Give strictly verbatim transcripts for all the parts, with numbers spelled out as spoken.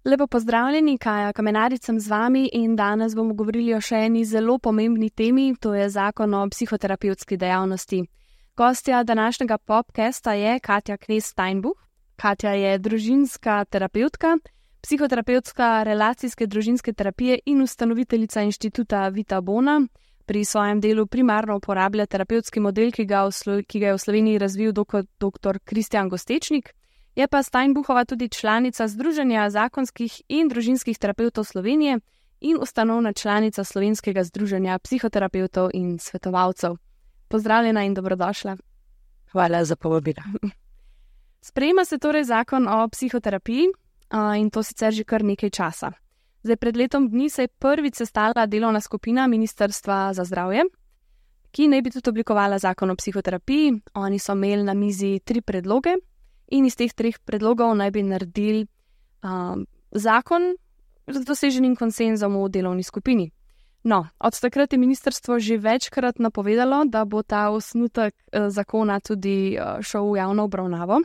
Lepo pozdravljeni, Kaja Kamenarič sem z vami in danes bomo govorili o še eni zelo pomembni temi, to je zakon o psihoterapevtski dejavnosti. Gostja današnjega podcasta je Katja Knez-Steinbuch. Katja je družinska terapevtka, psihoterapevtska relacijske družinske terapije in ustanoviteljica inštituta Vita Bona. Pri svojem delu primarno uporablja terapevtski model, ki ga, Slo- ki ga je v Sloveniji razvil dr. Kristjan Gostečnik. Je pa Steinbuchova tudi članica Združenja zakonskih in družinskih terapevtov Slovenije in ustanovna članica Slovenskega združenja psihoterapevtov in svetovalcev. Pozdravljena in dobrodošla. Hvala za povabilo. Sprejema se torej zakon o psihoterapiji in to sicer že kar nekaj časa. Zdaj, pred letom dni se je prvič sestala delovna skupina Ministrstva za zdravje, ki naj bi tudi oblikovala zakon o psihoterapiji. Oni so imeli na mizi tri predloge in iz teh treh predlogov naj bi naredili um, zakon z doseženim konsenzom v delovni skupini. No, od takrat je ministrstvo že večkrat napovedalo, da bo ta osnutek eh, zakona tudi eh, šel v javno obravnavo.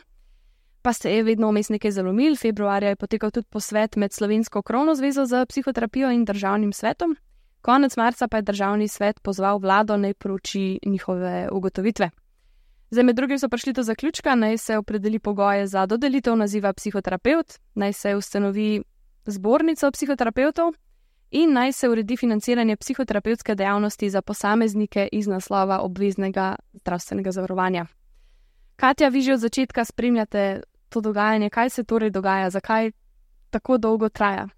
Pa se je vedno vmes nekaj zalomil. Februarja je potekal tudi posvet med Slovensko krovno zvezo za psihoterapijo in državnim svetom. Konec marca pa je državni svet pozval vlado naj prouči njihove ugotovitve. Zdaj, med drugim so prišli do zaključka, naj se opredeli pogoje za dodelitev naziva psihoterapevt, naj se ustanovi zbornica psihoterapevtov in naj se uredi financiranje psihoterapevtske dejavnosti za posameznike iz naslova obveznega zdravstvenega zavarovanja. Katja, vi že od začetka spremljate to dogajanje. Kaj se torej dogaja? Zakaj tako dolgo traja?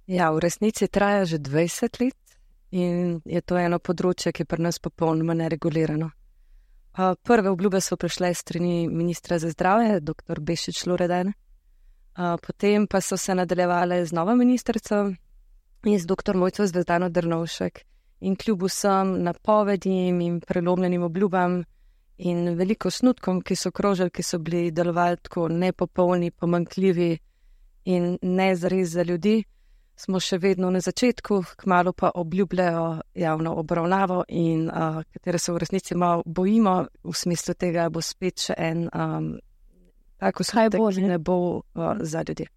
Ja, v resnici traja že dvajset let in je to eno področje, ki je pri nas popolnoma neregulirano. Prve obljube so prišle s strani ministra za zdravje, dr. Bešič Loredan, potem pa so se nadaljevale z novo ministrico in z dr. Mojco Zvezdano Drnovšek. In kljub vsem napovedim in prelomljenim obljubam in veliko snutkom, ki so krožili, ki so bili delovali tako nepopolni, pomanjkljivi in ne zares za ljudi, smo še vedno na začetku, kmalu pa obljubljajo javno obravnavo in uh, katere se v resnici malo bojimo, v smislu tega bo spet še en um, tako skutek, ki ne bo uh, za ljudi.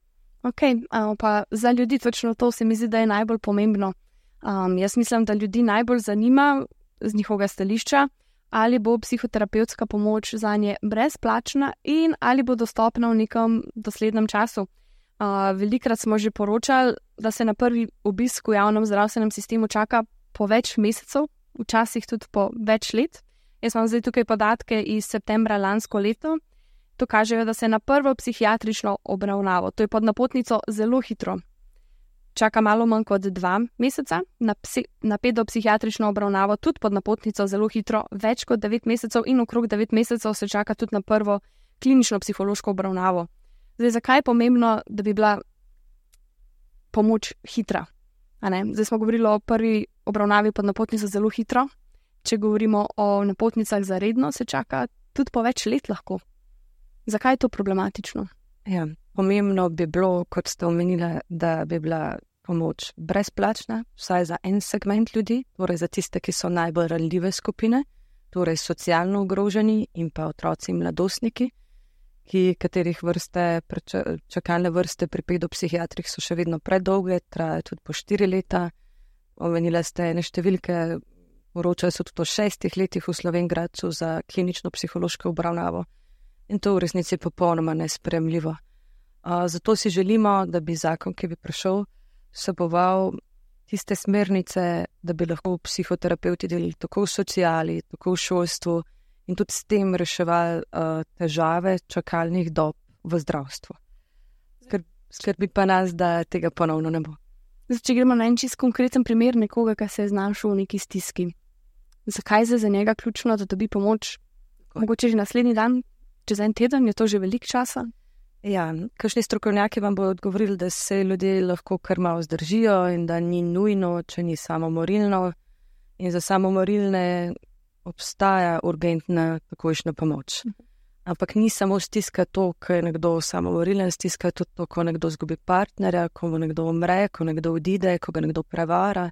Ok, uh, pa za ljudi točno to se mi zdi, da je najbolj pomembno. Um, jaz mislim, da ljudi najbolj zanima z njihovega stališča, ali bo psihoterapevtska pomoč zanje brezplačna in ali bo dostopna v nekem doslednem času. Uh, velikrat smo že poročali, da se na prvi obisk v javnem zdravstvenem sistemu čaka po več mesecev, včasih tudi po več let. Jaz imam zdaj tukaj podatke iz septembra lansko leto. To kažejo, da se na prvo psihiatrično obravnavo, to je pod napotnico, zelo hitro čaka malo manj kot dva meseca, na, psi, na pedopsihiatrično obravnavo tudi pod napotnico zelo hitro, več kot devet mesecev in okrog devet mesecev se čaka tudi na prvo klinično psihološko obravnavo. Zdaj, zakaj je pomembno, da bi bila pomoč hitra? A ne? Zdaj smo govorili o prvi obravnavi pod napotnico zelo hitro, če govorimo o napotnicah za redno, se čaka tudi po več let lahko. Zakaj je to problematično? Ja, pomembno bi bilo, kot ste omenili, da bi bila pomoč brezplačna, vsaj za en segment ljudi, torej za tiste, ki so najbolj ranljive skupine, torej socialno ogroženi in pa otroci in mladostniki, ki katerih vrste, čakalne vrste pri pedopsihiatrih so še vedno predolge, trajajo tudi po štiri leta. Omenila ste ene številke, poročajo se tudi o šestih letih v Slovenj Gradcu za klinično psihološko obravnavo. In to v resnici je popolnoma nesprejemljivo. Uh, zato si želimo, da bi zakon, ki bi prišel, vseboval tiste smernice, da bi lahko psihoterapevti delali tako v sociali, tako v šolstvu in tudi s tem reševali uh, težave čakalnih dob v zdravstvu. Skrb, skrbi pa nas, da tega ponovno ne bo. Zdaj, če gremo na en čist konkreten primer nekoga, ki se je znašel v neki stiski. Zakaj je za njega ključno, da dobi pomoč? Tako. Mogoče že naslednji dan, čez en teden, je to že veliko časa? Ja, kakšni strokovnjaki vam bodo odgovorili, da se ljudje lahko kar malo zdržijo in da ni nujno, če ni samomorilno. In za samomorilne obstaja urgentna takojšnja pomoč. Ampak ni samo stiska to, ko je nekdo samomorilen, stiska tudi to, ko nekdo zgubi partnerja, ko mu nekdo umre, ko nekdo odide, ko ga nekdo prevara.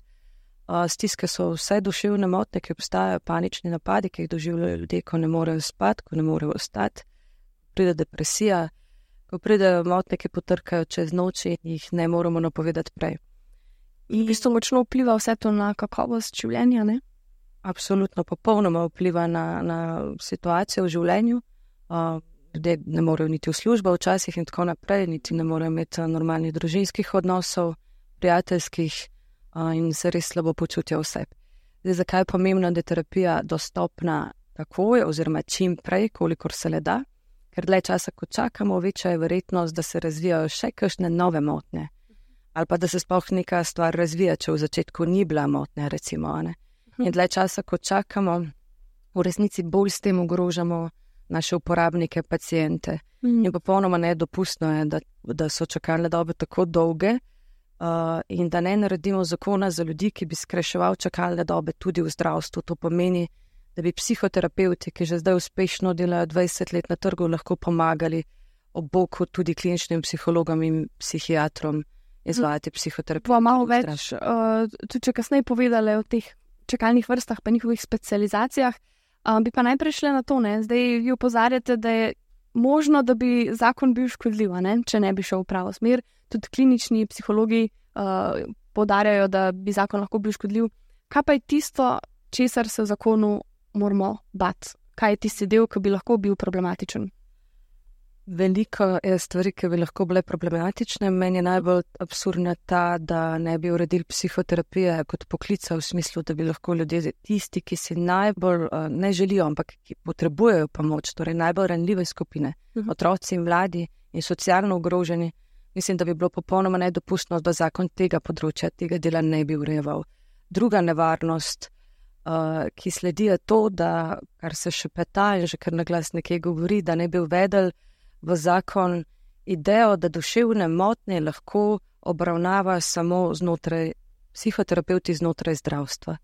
Stiske so vse duševne motnje, ki obstajajo, panični napadi, ki jih doživljajo ljudje, ko ne morejo spati, ko ne morejo ostati, pride depresija, ko pridejo motnje, ki potrkajo čez noč in jih ne moremo napovedati prej. In v bistvu močno vpliva vse to na kakovost življenja, ne? Absolutno, popolnoma vpliva na, na situacijo v življenju. Uh, ljudje ne morejo niti v službo včasih in tako naprej, niti ne morejo imeti normalnih družinskih odnosov, prijateljskih uh, in se res slabo počutijo vse. Zdaj, zakaj je pomembno, da je terapija dostopna takoj oziroma čim prej, kolikor se le da? Ker dlje časa, ko čakamo, večja je verjetnost, da se razvijajo še kakšne nove motnje. Ali pa da se sploh neka stvar razvija, če v začetku ni bila motnja, recimo. Ne? In dlje časa, ko čakamo, v resnici bolj s tem ogrožamo naše uporabnike, pacijente. Mm. In popolnoma nedopustno je, da, da so čakalne dobe tako dolge uh, in da ne naredimo zakona za ljudi, ki bi skrajševal čakalne dobe tudi v zdravstvu. To pomeni, da bi psihoterapeuti, ki že zdaj uspešno delajo dvajset let na trgu, lahko pomagali ob boku tudi kliničnim psihologom in psihiatrom izvajati psihoterapijo. Pa malo več, uh, tudi če kasneje povedali o teh čakalnih vrstah pa njihovih specializacijah, um, bi pa najprej šli na to, ne? Zdaj vi opozarjate, da je možno, da bi zakon bil škodljiv, ne? Če ne bi šel v pravo smer. Tudi klinični psihologi uh, poudarjajo, da bi zakon lahko bil škodljiv. Kaj pa je tisto, česar se v zakonu moramo bati? Kaj je tisti del, ki bi lahko bil problematičen? Veliko je stvari, ki bi lahko bile problematične. Meni je najbolj absurdna ta, da ne bi uredili psihoterapije kot poklica v smislu, da bi lahko ljudje tisti, ki si najbolj uh, ne želijo, ampak ki potrebujejo pomoč, torej najbolj ranljive skupine, uh-huh. otroci in mladi in socialno ogroženi, mislim, da bi bilo popolnoma nedopustno, da zakon tega področja, tega dela ne bi urejeval. Druga nevarnost, uh, ki sledi, je to, da, kar se še peta in že kar na glas nekaj govori, da ne bi uvedel v zakon idejo, da duševne motnje lahko obravnava samo znotraj psihoterapeuti znotraj zdravstva.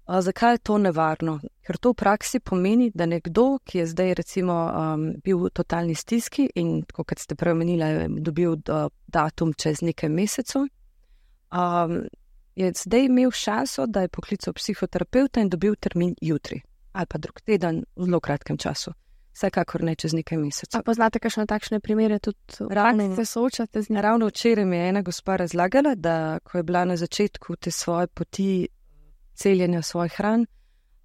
A zakaj je to nevarno? Ker to v praksi pomeni, da nekdo, ki je zdaj recimo um, bil v totalni stiski in, kot ste preomenili, je dobil uh, datum čez nekaj mesecev, um, je zdaj imel šanso, da je poklical psihoterapeuta in dobil termin jutri ali pa drug teden v zelo kratkem času. Vsekakor ne čez nekaj mesecev. A poznate kakšne takšne primere, tudi ravno se soočate z njim? Ravno včeraj mi je ena gospa razlagala, da ko je bila na začetku te svoje poti celjenja svojih ran,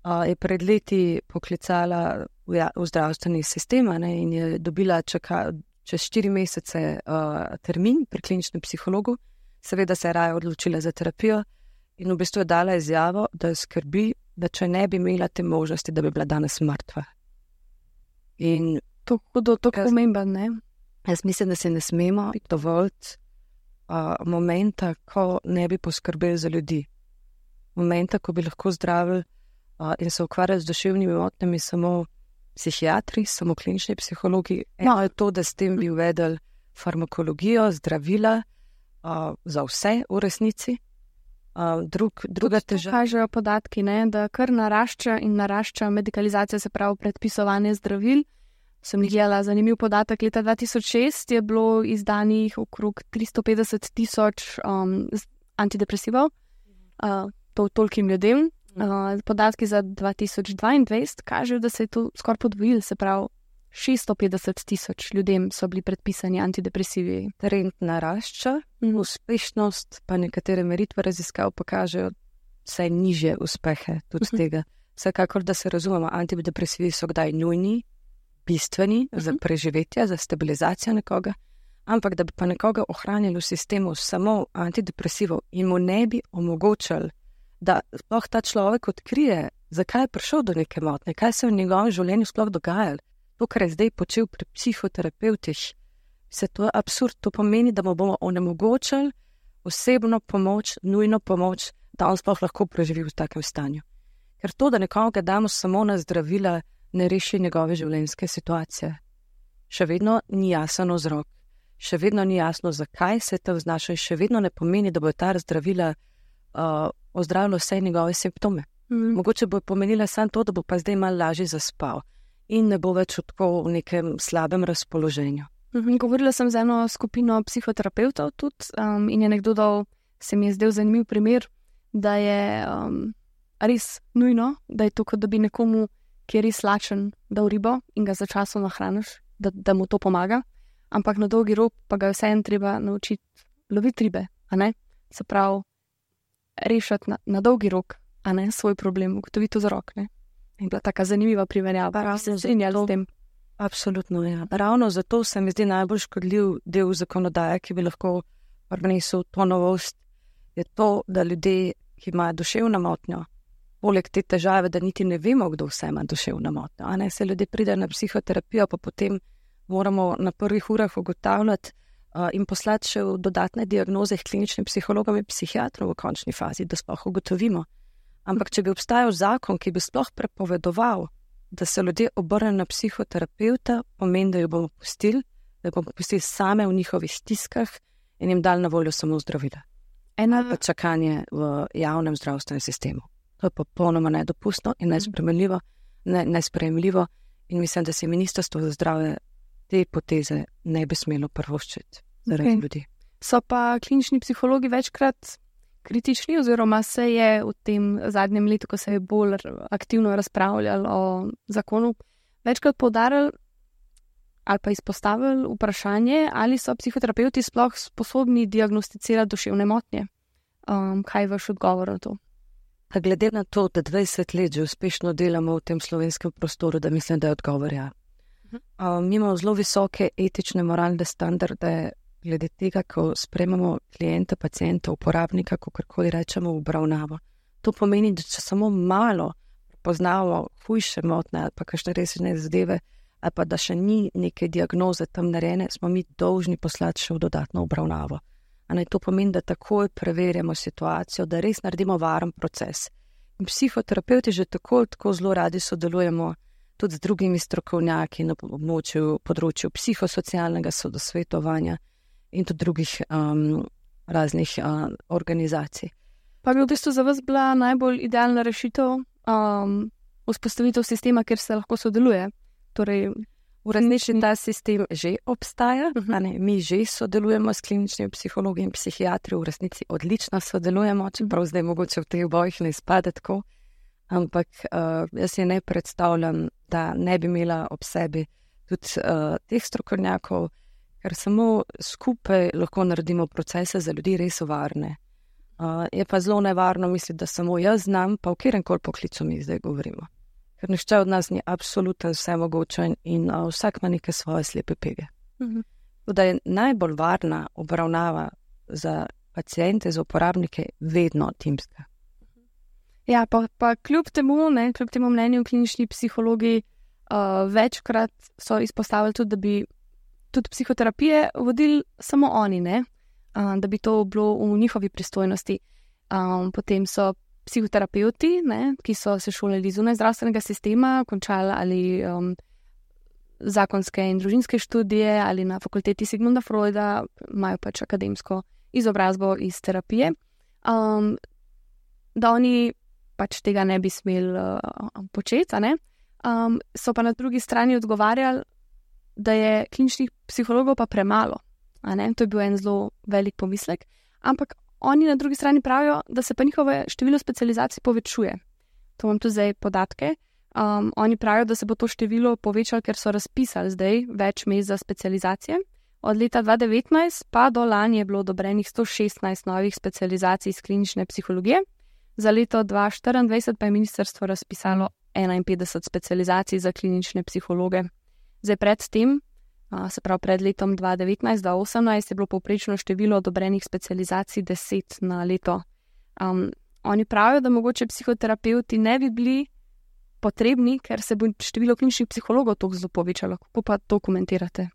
uh, je pred leti poklicala v, ja, v zdravstveni sistem ne, in je dobila čaka, čez štiri mesece uh, termin pri kliničnem psihologu. Seveda se je raje odločila za terapijo in v bistvu je dala izjavo, da skrbi, da če ne bi imela te možnosti, da bi bila danes mrtva. In to je tako pomemben, ne? Jaz mislim, da se ne smemo dovoliti uh, momenta, ko ne bi poskrbeli za ljudi. Momenta, ko bi lahko zdravili uh, in se ukvarjali z duševnimi motnjami samo psihiatri, samo klinični psihologi. Eno je to, da s tem bi uvedeli farmakologijo, zdravila uh, za vse v resnici. Uh, drug, druga težava. Kažejo podatki, ne, da kar narašča in narašča medikalizacija, se pravi predpisovanje zdravil. Sem gledala zanimiv podatek, leta dva tisoč šest je bilo izdanih okrog tristo petdeset tisoč um, antidepresivov, uh, to tolkim ljudem. Uh, podatki za dva tisoč dvaindvajset kažejo, da se je to skoraj podvojilo, se pravi šeststo petdeset tisoč ljudem so bili predpisani antidepresivi. Trend narašča, mm. uspešnost, pa nekatere meritve raziskav pokažejo vse nižje uspehe tudi mm-hmm. tega. Vsekakor, da se razumemo, antidepresivi so kdaj nujni, bistveni mm-hmm. za preživetje, za stabilizacijo nekoga, ampak da bi pa nekoga ohranili v sistemu samo antidepresivov in mu ne bi omogočali, da sploh ta človek odkrije, zakaj je prišel do neke motnje, kaj se v njegovem življenju sploh dogajalo. To, kar je zdaj počel pri psihoterapeutih, se to je absurd. To pomeni, da mu bomo onemogočili osebno pomoč, nujno pomoč, da on sploh lahko preživi v takem stanju. Ker to, da nekoga damo samo na zdravila, ne reši njegove življenjske situacije. Še vedno ni jasen vzrok, še vedno ni jasno, zakaj se to znaša in še vedno ne pomeni, da bo ta zdravila uh, ozdravilo vse njegove simptome. Mm. Mogoče bo pomenila samo to, da bo pa zdaj malo lažje zaspal in ne bo več tako v nekem slabem razpoloženju. Mhm, govorila sem z eno skupino psihoterapeutov tudi um, in je nekdo dal, se mi je zdel zanimiv primer, da je um, res nujno, da je to, kot da bi nekomu, ki je res lačen, dal ribo in ga začasno nahraniš, da, da mu to pomaga, ampak na dolgi rok pa ga vseeno treba naučiti loviti ribe, a ne? Se pravi, rešiti na, na dolgi rok, a ne svoj problem, ugotoviti vzrok, ne? In bila taka zanimiva primerjava, se strinjali s tem. Absolutno, ja. Ravno zato se mi zdi najbolj škodljiv del zakonodaje, ki bi lahko prinesel to novost, je to, da ljudje, ki imajo duševno motnjo, poleg te težave, da niti ne vemo, kdo vse ima duševno motnjo, a ne, se ljudje pridejo na psihoterapijo, pa potem moramo na prvih urah ugotavljati uh, in poslati še v dodatne diagnoze kliničnim psihologom in psihiatrom v končni fazi, da sploh ugotovimo. Ampak če bi obstajal zakon, ki bi sploh prepovedoval, da se ljudje obrnejo na psihoterapeuta, pomeni, da jo bomo pustili, da jo bomo pustili same v njihovih stiskah in jim dali na voljo samo zdravila. Eno pa čakanje v javnem zdravstvenem sistemu. To je popolnoma nedopustno in nesprejemljivo, ne, nesprejemljivo in mislim, da se ministrstvo za zdravje te poteze ne bi smelo prvoščiti zaradi okay. ljudi. So pa klinični psihologi večkrat kritični oziroma se je v tem zadnjem letu, ko se je bolj aktivno razpravljali o zakonu, večkrat poudarjali ali pa izpostavili vprašanje, ali so psihoterapeuti sploh sposobni diagnosticirati duševne motnje. Um, kaj je vaš odgovor na to? A glede na to, da dvajset let že uspešno delamo v tem slovenskem prostoru, da mislim, da je odgovor ja. Uh, mi imamo zelo visoke etične, moralne standarde glede tega, ko spremamo klijenta, pacijenta, uporabnika, kakorkoli rečemo v obravnavo. To pomeni, da če samo malo poznamo hujše motnje ali pa kakšne resne zadeve, ali pa da še ni neke diagnoze tam narejene, smo mi dolžni poslati še v dodatno obravnavo. A ne, to pomeni, da takoj preverjamo situacijo, da res naredimo varen proces. In psihoterapeuti že tako, tako zelo radi sodelujemo tudi z drugimi strokovnjaki na območju, področju psihosocialnega sodosvetovanja in tudi drugih um, raznih uh, organizacij. Pa bi v bistvu za vas bila najbolj idealna rešitev um, vzpostavitev sistema, kjer se lahko sodeluje? Torej, v resnici ta sistem že obstaja, uh-huh. a ne, mi že sodelujemo s kliničnimi psihologi in psihiatri, v resnici odlično sodelujemo, čeprav zdaj mogoče v teh bojih ne izpade tako, ampak uh, jaz si ne predstavljam, da ne bi imela ob sebi tudi uh, teh strokovnjakov, ker samo skupaj lahko naredimo procese za ljudi res varne. Uh, je pa zelo nevarno misliti, da samo jaz znam, pa v kjerenkoli poklicu mi zdaj govorimo. Ker nišče od nas ni absolutno vse mogoče in uh, vsak ima neke svoje slepe pege. Uh-huh. Da je najbolj varna obravnava za pacijente, za uporabnike vedno timska. Ja, pa, pa kljub temu, ne, kljub temu mnenju klinični psihologi uh, večkrat so izpostavili tudi, da bi tudi psihoterapije vodili samo oni, ne, uh, da bi to bilo v njihovi pristojnosti. Um, potem so psihoterapeuti, ne, ki so se šolali zunaj zdravstvenega sistema, končali ali um, zakonske in družinske študije ali na fakulteti Sigmunda Freuda, imajo pač akademsko izobrazbo iz terapije, um, da oni pač tega ne bi smeli uh, početi, ne? Um, so pa na drugi strani odgovarjali, da je kliničnih psihologov pa premalo, a ne? To je bil en zelo velik pomislek, ampak oni na drugi strani pravijo, da se pa njihove število specializacij povečuje. To imam tu zdaj podatke. Um, oni pravijo, da se bo to število povečalo, ker so razpisali zdaj več mest za specializacije. Od leta dva tisoč devetnajst pa do lani je bilo odobrenih sto šestnajst novih specializacij iz klinične psihologije. Za leto dva tisoč štiriindvajset pa je ministrstvo razpisalo enainpetdeset specializacij za klinične psihologe. Zdaj pred tem, se pravi pred letom dva tisoč devetnajst do dva tisoč osemnajst, je bilo povprečno število odobrenih specializacij deset na leto. Um, oni pravijo, da mogoče psihoterapeuti ne bi bili potrebni, ker se bo število kliničnih psihologov toliko zelo povečalo. Kako pa to komentirate?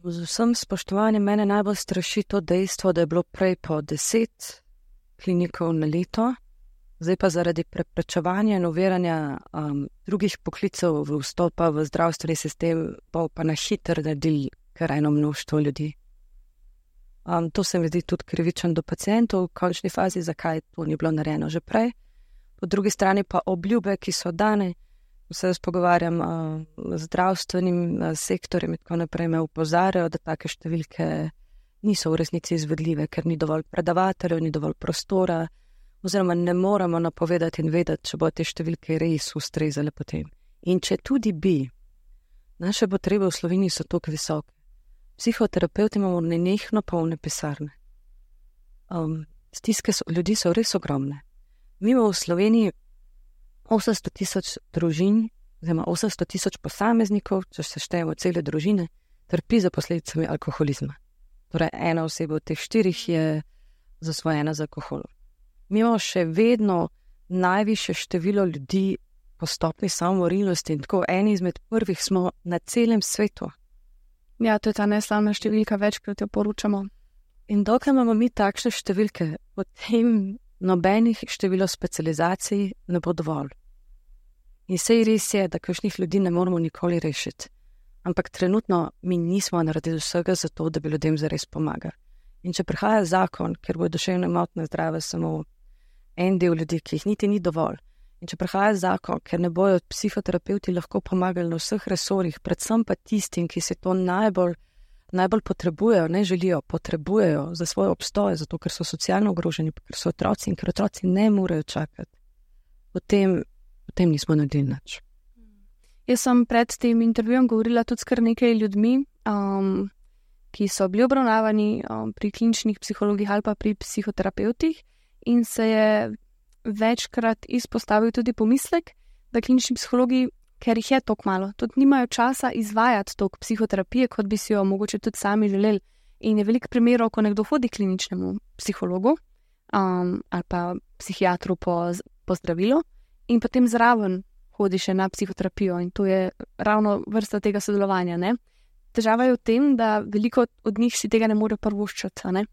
Z vsem spoštovanjem mene najbolj straši to dejstvo, da je bilo prej po deset klinikov na leto, zdaj pa zaradi preprečevanja in uveranja um, drugih poklicev v vstopa v zdravstveni sistem pa, pa na hitro naredili kar eno mnoštvo ljudi. Um, to se mi zdi tudi krivičen do pacijentov v končni fazi, zakaj to ni bilo narejeno že prej. Po drugi strani pa obljube, ki so dane, se jaz pogovarjam uh, z zdravstvenim uh, sektorjem in tako naprej me upozarjajo, da take številke niso v resnici izvedljive, ker ni dovolj predavateljev, ni dovolj prostora, oziroma ne moremo napovedati in vedeti, če bo te številke res ustrezale potem. In če tudi bi, naše potrebe v Sloveniji so tako visoke. Psihoterapeuti imamo nenehno polne pisarne. Um, stiske so, ljudi so res ogromne. Mi imamo v Sloveniji osemsto tisoč družin, oziroma osemsto tisoč posameznikov, če se štejemo cele družine, trpi za posledicami alkoholizma. Torej, ena oseba od teh štirih je zasvojena z alkoholom. Mi imamo še vedno najvišje število ljudi po stopnji samomorilnosti in tako eni izmed prvih smo na celem svetu. Ja, to je ta neslavna številka, večkrat jo poročamo. In dokaj imamo mi takšne številke, potem nobenih število specializacij ne bo dovolj. In sej res je, da kakšnih ljudi ne moramo nikoli rešiti. Ampak trenutno mi nismo naredili vsega za to, da bi ljudem zares pomagali. In če prihaja zakon, ker bo duševne motnje zdrave samo en del ljudi, ki jih niti ni dovolj, in če prihaja zakon, ker ne bojo psihoterapeuti lahko pomagali na vseh resorjih, predvsem pa tistim, ki se to najbolj, najbolj potrebujejo, ne želijo, potrebujejo za svoj obstoj, zato ker so socialno ogroženi, ker so otroci in ker otroci ne morejo čakati, potem, potem nismo naredili nič. Jaz sem pred tem intervjujem govorila tudi s kar nekaj ljudmi, um, ki so bili obravnavani um, pri kliničnih psihologih ali pa pri psihoterapeutih in se je večkrat izpostavil tudi pomislek, da klinični psihologi, ker jih je toliko malo, tudi nimajo časa izvajati toliko psihoterapije, kot bi si jo mogoče tudi sami želeli. In je veliko primerov, ko nekdo hodi k kliničnemu psihologu um, ali pa psihiatru po, po zdravilo in potem zraven hodi še na psihoterapijo in to je ravno vrsta tega sodelovanja. Ne? Težava je v tem, da veliko od njih si tega ne more prvoščiti, ne?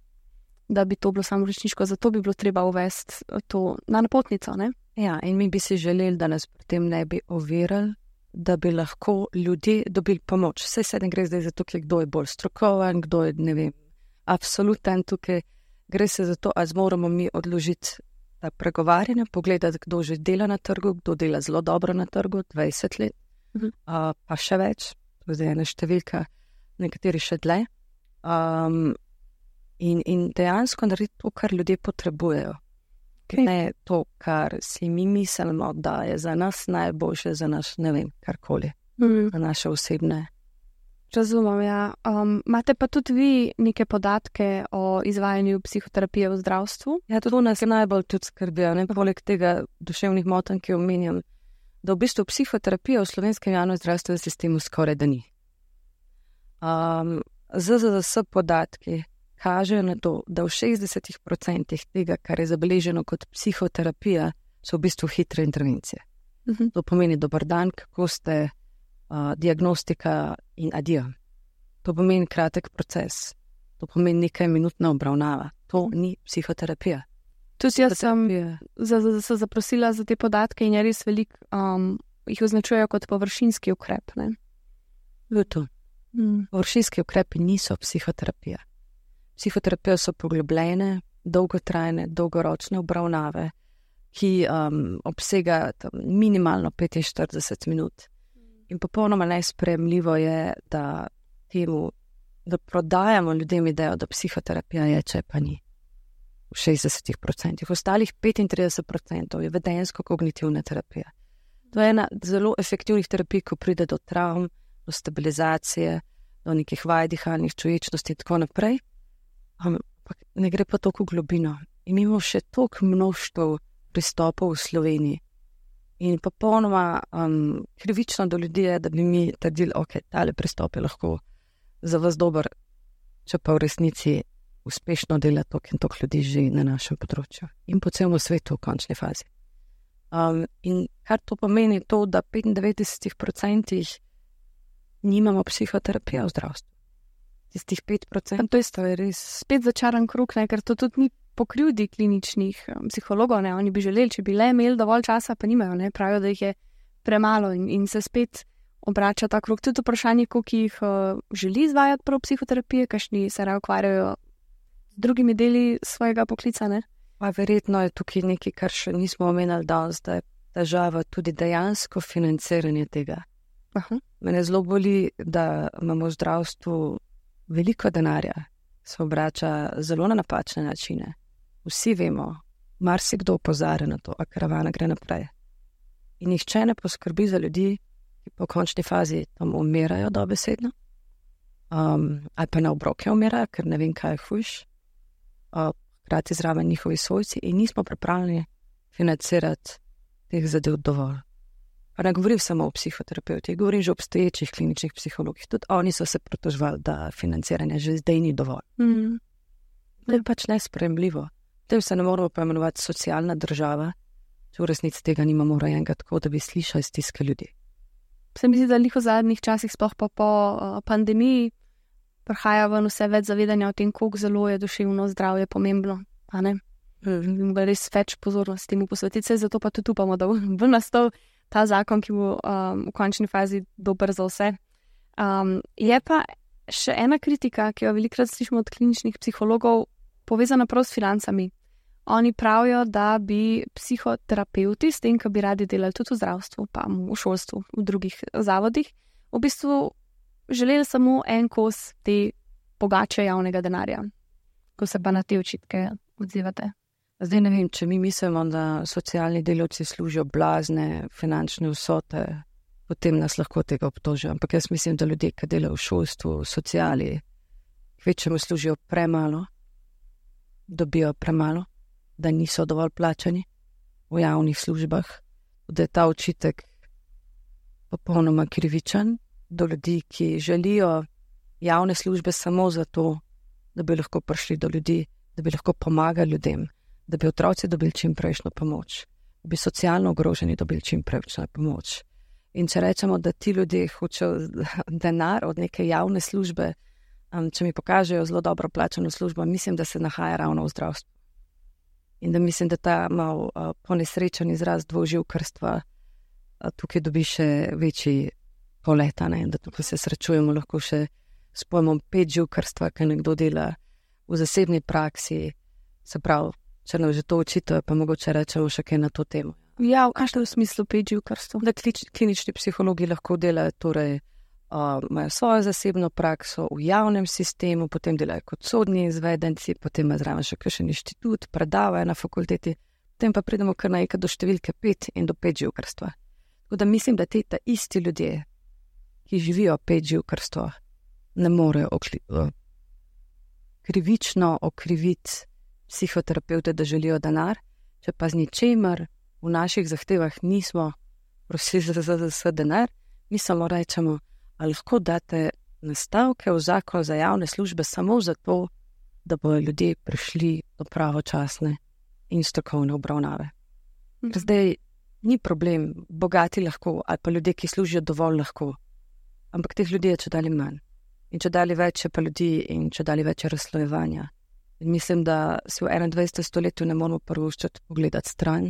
Da bi to bilo samo resniško, zato bi bilo treba uvesti to na napotnico. Ne? Ja, in mi bi si želeli, da nas pri tem ne bi ovirali, da bi lahko ljudje dobili pomoč. Vse se ne gre zdaj za to, kdo je bolj strokoven, kdo je, ne vem, absoluten tukaj. Gre se za to, ali moramo mi odložiti ta pregovarjanje, pogledati, kdo že dela na trgu, kdo dela zelo dobro na trgu, dvajset let, mhm. uh, pa še več, to je zdaj ena številka, nekateri še dlje. Um, In, in dejansko narediti to, kar ljudje potrebujejo. Okay. Ne to, kar si mi mislimo, da je za nas najboljše, za naš, ne vem, karkoli, mm. za naše osebne. Razumem, ja. Um, imate pa tudi vi neke podatke o izvajanju psihoterapije v zdravstvu? Ja, to nas najbolj tudi skrbijo. Ne? Poleg tega duševnih motenj, ki omenjam, da v bistvu psihoterapija v slovenskem javnem zdravstvenem sistemu skoraj da ni. Um, Z Z D S podatki kažejo na to, da v šestdesetih procentih tega, kar je zabeleženo kot psihoterapija, so v bistvu hitre intervencije. Uh-huh. To pomeni dober dan, kako ste, uh, diagnostika in adijo. To pomeni kratek proces. To pomeni nekaj minutna obravnava. To ni psihoterapija. Tudi jaz sem za, za, za zaprosila za te podatke in je res veliko, um, jih označujejo kot površinski ukrep. Ne? Je to. Mm. Površinski ukrepi niso psihoterapija. Psihoterapije so poglobljene, dolgotrajne, dolgoročne obravnave, ki um, obsega minimalno petinštirideset minut. In popolnoma nesprejemljivo je, da, temu, da prodajamo ljudem idejo, da psihoterapija je, če pa ni. V šestdesetih procentih. V ostalih petintrideset procentov je vedenjsko-kognitivna terapija. To je ena zelo efektivnih terapij, ko pride do travm, do stabilizacije, do nekih vaj dihalnih čuječnosti in tako naprej. Ampak ne gre pa toliko globino. In imamo še toliko množstev pristopov v Sloveniji. In popolnoma um, krivično do ljudi je, da bi mi trdili, ok, tale pristop je lahko za vas dober, če pa v resnici uspešno dela toliko in toliko ljudi že na našem področju. In po celem svetu v končni fazi. Um, in kar to pomeni to, da v petindevetdesetih procentih nimamo psihoterapije v zdravstvu. Tistih pet procentov. To je res spet začaran krug, ne? Ker to tudi ni po krivdi kliničnih um, psihologov, ne? Oni bi želeli, če bi le imeli dovolj časa, pa nimajo, ne? Pravijo, da jih je premalo in, in se spet obrača ta krug. Tudi vprašanje, koliko jih uh, želi izvajati prav psihoterapije, kakšni se raje ukvarjajo z drugimi deli svojega poklica, ne? Pa verjetno je tukaj nekaj, kar še nismo omenili danes, da je težava tudi dejansko financiranje tega. Aha. Mene zelo boli, da imamo v zdravstvu veliko denarja se obrača zelo na napačne načine. Vsi vemo, marsikdo opozarja na to, a karavana gre naprej. In nihče ne poskrbi za ljudi, ki po končni fazi tam umirajo dobesedno, um, ali pa na obroke umirajo, ker ne vem, kaj je hujš, hkrati uh, zraven njihovi svojci in nismo pripravljeni financirati teh zadev dovolj. Pa ne govorim samo o psihoterapevtih, govorim že o obstoječih kliničnih psihologih. Tudi oni so se pritožvali, da financiranje že zdaj ni dovolj. Mm. To je pač nesprejemljivo. Tem se ne moramo poimenovati socialna država, če v resnici tega nimamo urejenega tako, da bi slišali stiske ljudi. Se mi zdi, da v zadnjih časih, sploh pa po uh, pandemiji, prihaja ven vse več zavedanja o tem, koliko zelo je duševno zdravje pomembno. A ne? Mm. Res več pozornosti temu posvetiti, zato pa tudi upamo, da bo nastal ta zakon, ki bo um, v končni fazi dober za vse. Um, je pa še ena kritika, ki jo velikokrat slišimo od kliničnih psihologov, povezana prav s financami. Oni pravijo, da bi psihoterapeuti, s tem, ko bi radi delali tudi v zdravstvu, pa v šolstvu, v drugih zavodih, v bistvu želeli samo en kos te pogače javnega denarja. Ko se pa na te očitke odzivate? Zdaj ne vem, če mi mislimo, da socialni delavci služijo blazne finančne vsote, potem nas lahko tega obtožijo. Ampak jaz mislim, da ljudje, ki delajo v šolstvu, v sociali, kvečemu služijo premalo, dobijo premalo, da niso dovolj plačani v javnih službah, da je ta očitek popolnoma krivičen do ljudi, ki želijo javne službe samo zato, da bi lahko prišli do ljudi, da bi lahko pomagali ljudem, da bi otroci dobili čim prejšnjo pomoč, da bi socialno ogroženi dobili čim prejšnjo pomoč. In če rečemo, da ti ljudje hočejo denar od neke javne službe, um, če mi pokažejo zelo dobro plačano službo, mislim, da se nahaja ravno v zdravstvu. In da mislim, da ta mal uh, ponesrečen izraz dvoživkarstva uh, tukaj dobi še večji polet, ne? Da tukaj se srečujemo lahko še s pojmom petživkarstva, ki nekdo dela v zasebni praksi, se pravi, če nam že to očitajo, pa mogoče rečemo še kaj na to temo. Ja, v kakšnem smislu petživkarstvo? Da klinični psihologi lahko delajo, torej uh, imajo svojo zasebno prakso v javnem sistemu, potem delajo kot sodni izvedenci, potem imajo zraven še kakšen inštitut, predavajo na fakulteti, potem pa pridemo kar naenkrat do številke pet in do petživkarstva. Tako da mislim, da te ta isti ljudje, ki živijo petživkarstvo, ne morejo okli, uh, krivično okriviti psihoterapeute, da želijo denar, če pa z ničemer v naših zahtevah nismo prosili za, za, za, za denar, mi samo rečemo, ali lahko date nastavke v zakon za javne službe samo zato, da bodo ljudje prišli do pravočasne in strokovne obravnave. Mhm. Zdaj ni problem, bogati lahko, ali pa ljudje, ki služijo dovolj lahko, ampak teh ljudi je če dali manj. In če dali več je pa ljudi in če dali več je razslojevanja. In mislim, da si v enaindvajsetem stoletju ne moramo prvoščati pogledati stran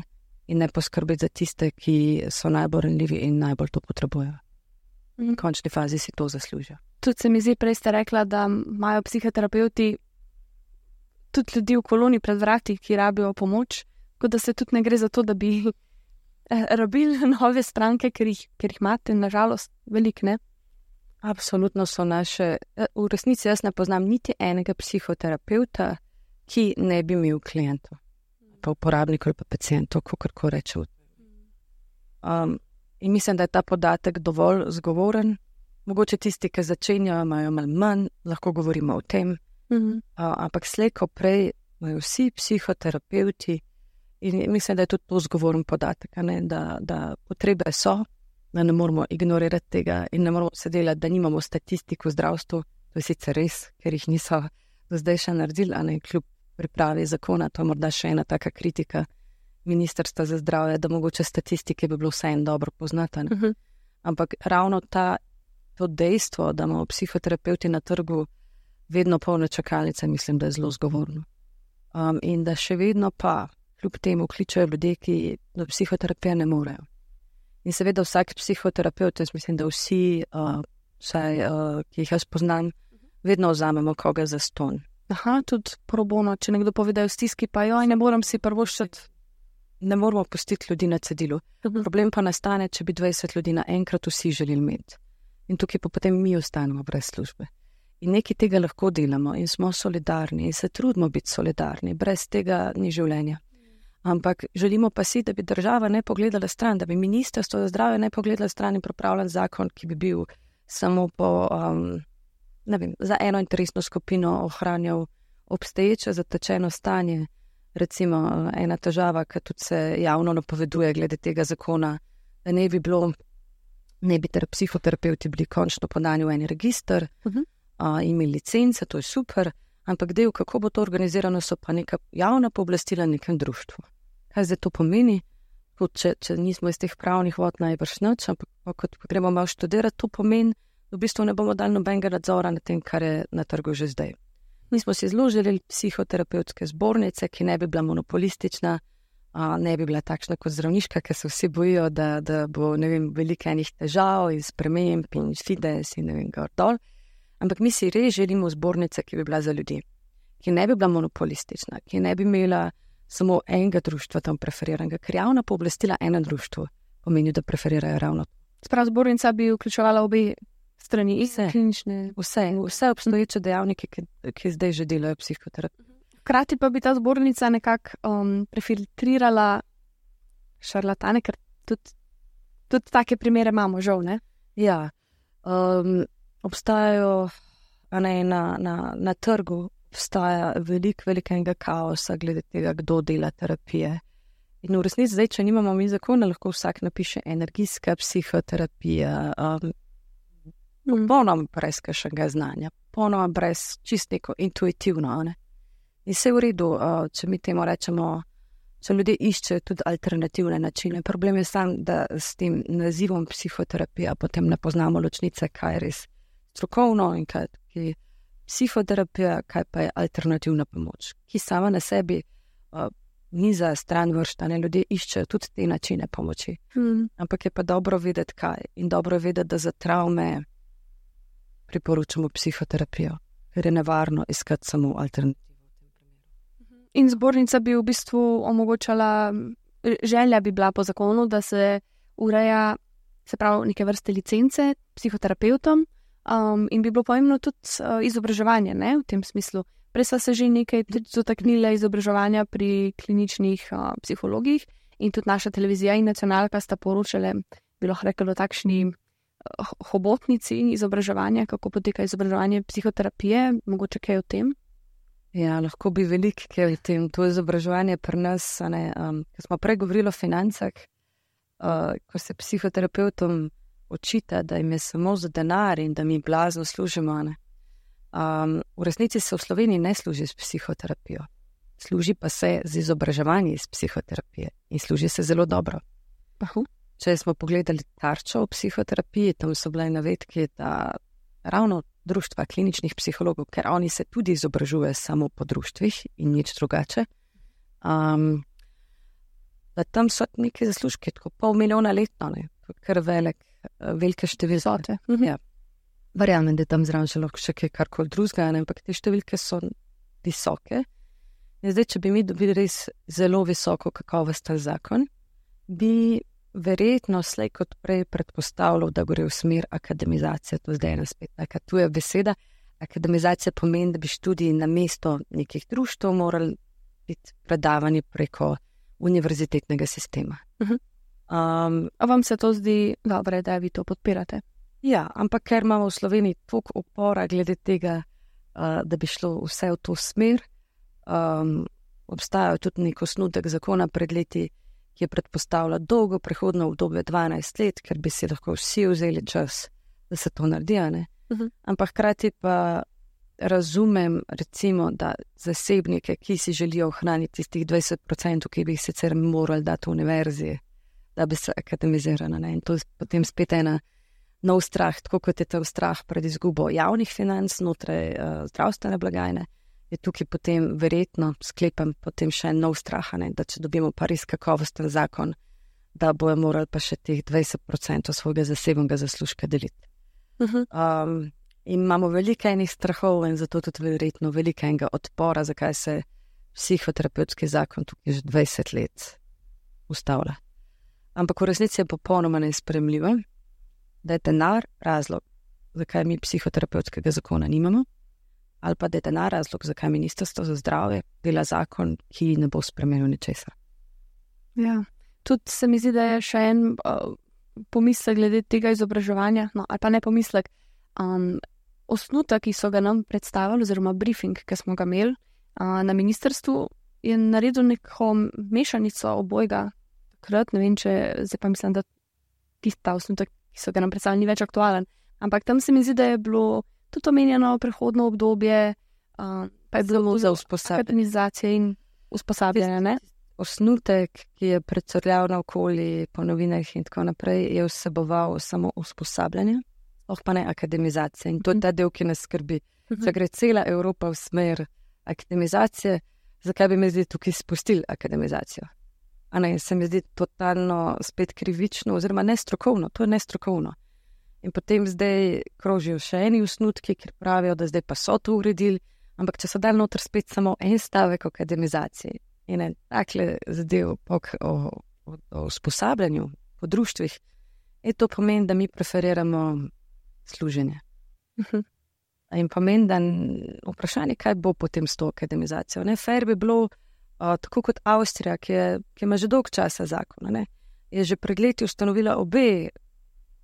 in ne poskrbeti za tiste, ki so najbolj ranljivi in najbolj to potrebujejo. V končni fazi si to zaslužijo. Tudi se mi zdi, prej ste rekla, da imajo psihoterapeuti tudi ljudi v koloni pred vrati, ki rabijo pomoč, kot da se tudi ne gre za to, da bi rabili nove stranke, ker jih, ker jih imate, nažalost, velik, ne? Absolutno so naše, v resnici jaz ne poznam niti enega psihoterapeuta, ki ne bi imel klientov, pa uporabnikov ali pa pacientov, kako rečem. Um, in mislim, da je ta podatek dovolj zgovoren. Mogoče tisti, ki začenjajo, imajo malo manj, lahko govorimo o tem, mm-hmm. uh, ampak slej ko prej imajo vsi psihoterapeuti in mislim, da je tudi to zgovoren podatek, ne? Da, da potrebe so, da ne moramo ignorirati tega in ne moramo se delati, da nimamo statistik v zdravstvu. To je sicer res, ker jih niso do zdaj še naredili, a ne kljub pripravi zakona. To je morda še ena taka kritika Ministrstva za zdravje, da mogoče statistike bi bilo vseeno dobro poznati. Uh-huh. Ampak ravno ta, to dejstvo, da imamo psihoterapeuti na trgu vedno polne čakalnice, mislim, da je zelo zgovorno. Um, in da še vedno pa kljub temu kličejo ljudje, ki do psihoterapije ne morejo. In seveda vsak psihoterapeut, jaz mislim, da vsi, uh, vsaj, uh, ki jih jaz poznam, vedno vzamemo koga za ston. Aha, tudi pro bono, če nekdo pove, da je v stiski, pa joj, ne moram si prvoščati. Ne moramo pustiti ljudi na cedilu. Uh-huh. Problem pa nastane, če bi dvajset ljudi naenkrat vsi želeli imeti. In tukaj pa potem mi ostanemo brez službe. In nekaj tega lahko delamo in smo solidarni in se trudimo biti solidarni, brez tega ni življenja. Ampak želimo pa si, da bi država ne pogledala stran, da bi ministrstvo za zdravje ne pogledala stran in pripravljen zakon, ki bi bil samo po, um, ne vem, za eno interesno skupino ohranjal obstoječe zatečeno stanje. Recimo ena težava, ki tudi se javno napoveduje glede tega zakona, da ne bi bilo, ne bi ter psihoterapeuti bili končno podani v en register, uh-huh. uh, imeli licence, to je super, ampak del, kako bo to organizirano, so pa neka javna pooblastila nekem društvu. Kaj zdaj to pomeni? Tudi, če, če nismo iz teh pravnih vod najbrž nič, ampak kot gremo malo študirati, to pomeni, da v bistvu ne bomo dali nobenega nadzora na tem, kar je na trgu že zdaj. Mi smo si zelo želeli psihoterapevtske zbornice, ki ne bi bila monopolistična, a, ne bi bila takšna kot zdravniška, ker se vsi bojijo, da, da bo, ne vem, veliko enih težav in sprememb in fides in ne vem, gor dol. Ampak mi si res želimo zbornice, ki bi bila za ljudi, ki ne bi bila monopolistična, ki ne bi imela samo enega društva tam preferiranega, ker javna pooblastila ena društvu pomeni, da preferirajo ravno. Sprav zbornica bi vključevala obe strani, vse, klinične, vse, vse obstoječe dejavnike, ki, ki zdaj že delajo psihoterapijo. Hkrati pa bi ta zbornica nekako um, prefiltrirala šarlatane, ker tudi, tudi take primere imamo, žal, ne? Ja, um, obstajajo ne, na, na, na trgu, obstaja veliko, velikega kaosa glede tega, kdo dela terapije. In v resnici zdaj, če nimamo mi zakona, lahko vsak napiše energijska psihoterapija, um, popolnoma brez kakšnega znanja, popolnoma brez čist neko intuitivno. Ne? In vse v redu, uh, če mi temu rečemo, če ljudje iščejo tudi alternativne načine. Problem je sam, da s tem nazivom psihoterapija potem ne poznamo ločnice, kaj je res strokovno in kaj je psihoterapija, kaj pa je alternativna pomoč, ki sama na sebi uh, ni za stran vrštane. Ljudje iščejo tudi te načine pomoči. Hmm. Ampak je pa dobro vedeti, kaj. In dobro vedeti, da za travme priporočamo psihoterapijo, ker je nevarno iskati samo alternativo. In zbornica bi v bistvu omogočala, želja bi bila po zakonu, da se ureja, se pravi, neke vrste licence psihoterapeutom, um, in bi bilo pomembno tudi uh, izobraževanje, ne, v tem smislu. Prej sva se že nekaj dotaknila izobraževanja pri kliničnih uh, psihologih in tudi naša televizija in nacionalka sta poročale, bi lahko rekli, o takšni uh, hobotnici izobraževanja, kako poteka izobraževanje psihoterapije, mogoče kaj o tem? Ja, lahko bi veliko kaj o tem. To izobraževanje pri nas, ne, um, ko smo prej govorili o financah, uh, ko se psihoterapeutom očita, da jim je samo za denar in da mi blazno služimo, ne. Um, v resnici se v Sloveniji ne služi s psihoterapijo. Služi pa se z izobraževanjem iz psihoterapije in služi se zelo dobro. Aha. Če smo pogledali tarčo v psihoterapiji, tam so bile navedke, da ravno društva kliničnih psihologov, ker oni se tudi izobražujejo samo po društvih in nič drugače, um, da tam so neki zaslužki, tako pol milijona letno, ne, kar velik, velike številke. Mhm. Ja. Verjamem, da tam zraven še lahko še kaj karkoli drugega, ampak te številke so visoke. In zdaj, če bi mi dobili res zelo visoko kakovosten zakon, bi verjetno slej kot prej predpostavljal, da gre v smer akademizacije. To zdaj ena spet taka tuja beseda. Akademizacija pomeni, da bi študiji na mesto nekih društv morali biti predavani preko univerzitetnega sistema. Uh-huh. Um, a vam se to zdi dobro, da vi to podpirate? Ja, ampak ker imamo v Sloveniji toliko upora glede tega, uh, da bi šlo vse v to smer, um, obstajajo tudi nek osnutek zakona pred leti, ki je predpostavlja dolgo prehodno obdobje dvanajst let, ker bi si lahko vsi vzeli čas, da se to naredi, ne? Uh-huh. Ampak hkrati pa razumem, recimo, da zasebnike, ki si želijo ohraniti tistih dvajset procentov, ki bi jih sicer morali dati v univerzi, da bi se akademizirali, ne? In to je potem spet ena nov strah, tako kot je tam strah pred izgubo javnih financ znotraj uh, zdravstvene blagajne, je tukaj potem verjetno, sklepam, potem še nov strah, ne, da če dobimo pa res kakovosten zakon, da bojo morali pa še teh dvajset procentov svojega zasebnega zaslužka deliti. Uh-huh. Um, in imamo veliko enih strahov in zato tudi verjetno veliko enega odpora, zakaj se psihoterapevtski zakon tukaj že dvajset let ustavlja. Ampak v resnici je popolnoma nesprejemljivo, da je denar razlog, zakaj mi psihoterapevtskega zakona nimamo, ali pa da je denar razlog, zakaj Ministrstvo za zdravje dela zakon, ki ne bo spremenil ničesar. Ja, tudi se mi zdi, da je še en uh, pomislek glede tega izobraževanja, no, ali pa ne pomislek, um, osnutek, ki so ga nam predstavili, oziroma briefing, ki smo ga imeli uh, na ministrstvu, je naredil neko mešanico obojga. Takrat, ne vem, če zdaj pa mislim, da tista osnutek, ki so ga nam predstavili, ni več aktualen. Ampak tam se mi zdi, da je bilo tudi omenjeno prehodno obdobje, uh, pa je bilo za usposabljanje in usposabljanje, ne? Osnutek, ki je predsorljal na okoli po novinah in tako naprej, je vseboval samo usposabljanje, oh pa ne akademizacije. In to je ta del, ki nas skrbi. Če gre cela Evropa v smer akademizacije, zakaj bi me zdi tukaj spustili akademizacijo? A ne, se mi zdi totalno spet krivično, oziroma nestrokovno, to je nestrokovno. In potem zdaj krožijo še eni osnutki, ker pravijo, da zdaj pa so to uredili, ampak če so dali noter spet samo en stavek o akademizaciji in en takle zadev o, o, o usposabljanju po društvih, je to pomeni, da mi preferiramo služenje. Uh-huh. In pomeni, da vprašanje, kaj bo potem s to akademizacijo. Ne, fair bi bilo, uh, tako kot Avstrija, ki, je, ki ima že dolg časa zakona, ne, je že pred leti ustanovila obe,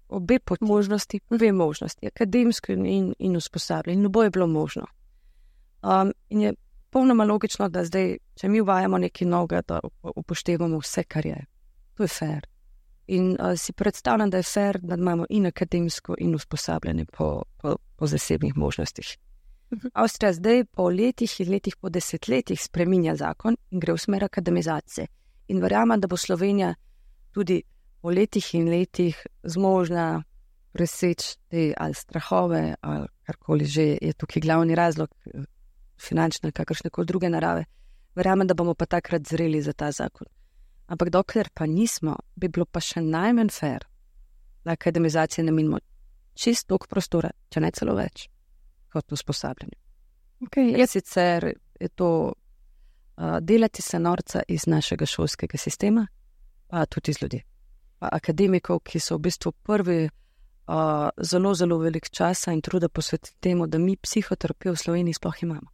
obe poti, možnosti, obe možnosti, akademsko in, in usposabljanje. In oboje je bilo možno. Um, in je popolnoma logično, da zdaj, če mi uvajamo nekaj novega, da upoštevamo vse, kar je. To je fair. In uh, si predstavljam, da je fair, da imamo in akademsko in usposabljanje po, po, po zasebnih možnostih. Uh-huh. Avstrija zdaj po letih in letih, po desetletjih spreminja zakon in gre v smer akademizacije. In verjamem, da bo Slovenija tudi po letih in letih zmožna preseči te ali strahove ali karkoli že je tukaj glavni razlog, finančne, kakršnekoli druge narave. Verjamem, da bomo pa takrat zreli za ta zakon. Ampak dokler pa nismo, bi bilo pa še najmanj fair, da akademizacije namenimo čist toliko prostora, če ne celo več, kot usposabljanje. Okay, je sicer je to uh, delati se norca iz našega šolskega sistema, pa tudi iz ljudi. Pa akademikov, ki so v bistvu prvi uh, zelo, zelo velik časa in truda posvetiti temu, da mi psihoterapijo v Sloveniji sploh imamo.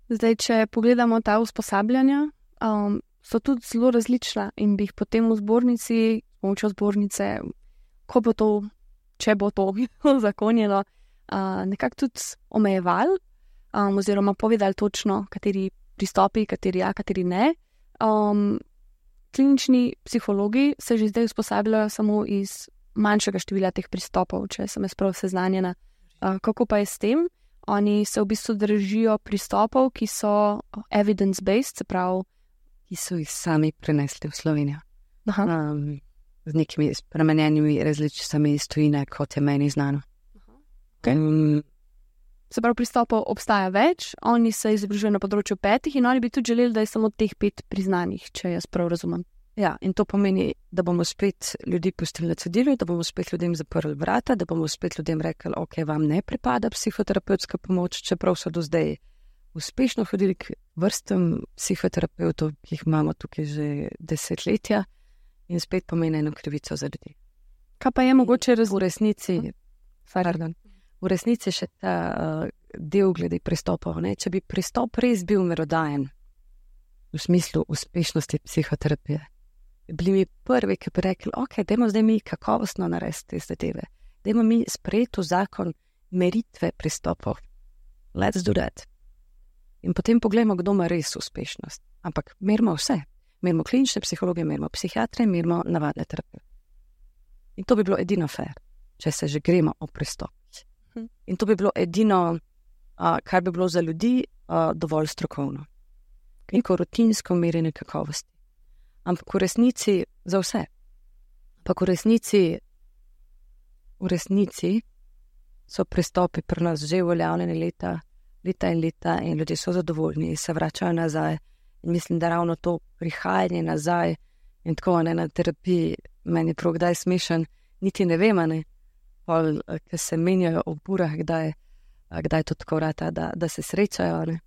Zdaj, če pogledamo ta usposabljanja, um, so tudi zelo različna in bi jih potem v zbornici, pomočjo zbornice, ko bo to, če bo to zakonjeno, uh, nekako tudi omejevali um, oziroma povedali točno, kateri pristopi, kateri ja, kateri ne. Um, klinični psihologi se že zdaj usposabljajo samo iz manjšega števila teh pristopov, če sem jaz prav seznanjena. Uh, kako pa je s tem? Oni se v bistvu držijo pristopov, ki so evidence-based, se pravi, ki so jih sami prenesli v Slovenijo. Um, z nekimi spremenjenimi različicami iz tujine, kot je meni znano. Okay. Um, se pravi, pristopov obstaja več, oni se izobražujejo na področju petih in oni bi tudi želeli, da je samo teh pet priznanih, če jaz prav razumem. Ja, in to pomeni, da bomo spet ljudi pustili na cedilu, da bomo spet ljudem zaprli vrata, da bomo spet ljudem rekli, ok, vam ne pripada psihoterapevtska pomoč, čeprav so do zdaj uspešno hodili k vrstam psihoterapeutov, ki jih imamo tukaj že desetletja, in spet pomeni eno krivico za ljudi. Kaj pa je mogoče raz... v resnici, pardon, v resnici še ta uh, del glede pristopov, ne? Če bi pristop res bil merodajen v smislu uspešnosti psihoterapije, bili mi prvi, ki bi rekli, ok, dajmo zdaj mi kakovostno narediti te zadeve, dajmo mi sprejeti v zakon meritve pristopov. Let's do that. In potem pogledamo, kdo ima res uspešnost. Ampak merimo vse. Merimo klinične psihologe, merimo psihiatre, merimo navadne terapije. In to bi bilo edino fair, če se že gremo o pristopih. In to bi bilo edino, uh, kar bi bilo za ljudi uh, dovolj strokovno. Neko rutinsko merjenje kakovosti. Ampak v resnici za vse. Ampak v resnici, v resnici so pristopi pri nas že uveljavljeni leta, leta in leta in ljudje so zadovoljni in se vračajo nazaj. In mislim, da ravno to prihajanje nazaj in tako ne na terapiji, meni prav kdaj smešen, niti ne vem, ne, pol, ki se menjajo ob urah, kdaj, kdaj to tako vrata, da, da se srečajo, ne.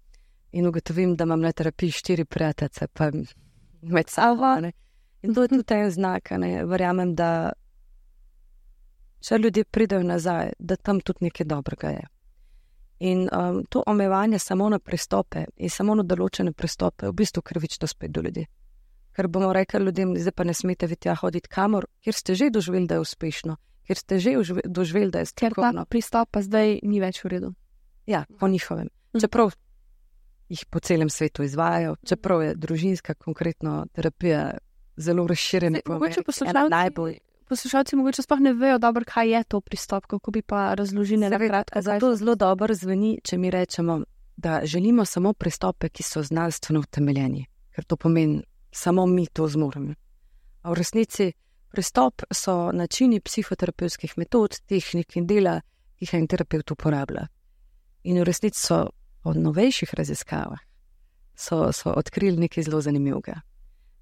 In ugotovim, da imam na terapiji štiri prijateljice, pa med sabo, ne. In to je tudi en znak, ne. Verjamem, da če ljudje pridejo nazaj, da tam tudi nekaj dobrega je. In um, to omejevanje samo na pristope in samo na določene pristope je v bistvu krivično spet do ljudi. Ker bomo rekli ljudem, zdaj pa ne smete vi tja hoditi kamor, kjer ste že doživeli, da je uspešno, kjer ste že doživeli, da je strokovno. Ker ta pristop pa zdaj ni več v redu. Ja, po njihovem. Čeprav jih po celem svetu izvajajo, čeprav je družinska konkretno terapija zelo razširjena. Mogoče poslušalci, poslušalci mogoče sploh ne vejo dobro, kaj je to pristop, kako bi pa razložili na kratko. Zato zelo dobro zveni, če mi rečemo, da želimo samo pristope, ki so znanstveno utemeljeni, ker to pomeni, samo mi to zmoremo. A v resnici pristop so načini psihoterapevtskih metod, tehnik in dela, ki jih en terapevt uporablja. In v resnici so od novejših raziskavah so, so odkrili nekaj zelo zanimivega.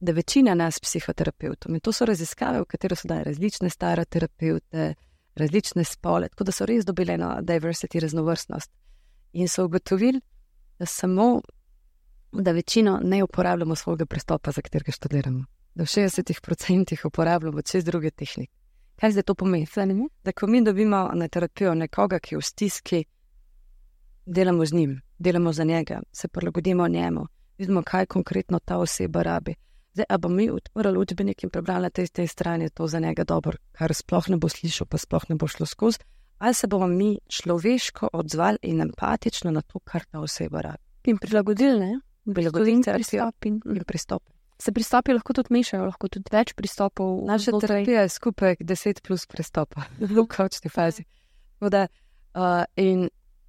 Da večina nas psihoterapevtov, in to so raziskave, v katero so dali različne stare terapeute, različne spole, tako da so res dobili eno diversity, raznovrstnost. In so ugotovili, da samo, da večino ne uporabljamo svojega pristopa, za katerega študiramo. Da v šestdesetih procentih uporabljamo čez druge tehnike. Kaj zdaj to pomeni? Da ko mi dobimo na terapijo nekoga, ki je v stiski, delamo z njim, delamo za njega, se prilagodimo njemu, vidimo, kaj konkretno ta oseba rabi. Zdaj, a bo mi odprli učbenik in prebrali na tej, tej strani, je to za njega dobro, kar sploh ne bo slišal, pa sploh ne bo šlo skozi, ali se bomo mi človeško odzvali in empatično na to, kar ta oseba rabi. In prilagodili, ne? Prilagodili pristop in, in pristop. Se pristopi lahko tudi mešajo, lahko tudi več pristopov. Naša terapija je skupaj deset plus pristopa v končni fazi. Da, uh, in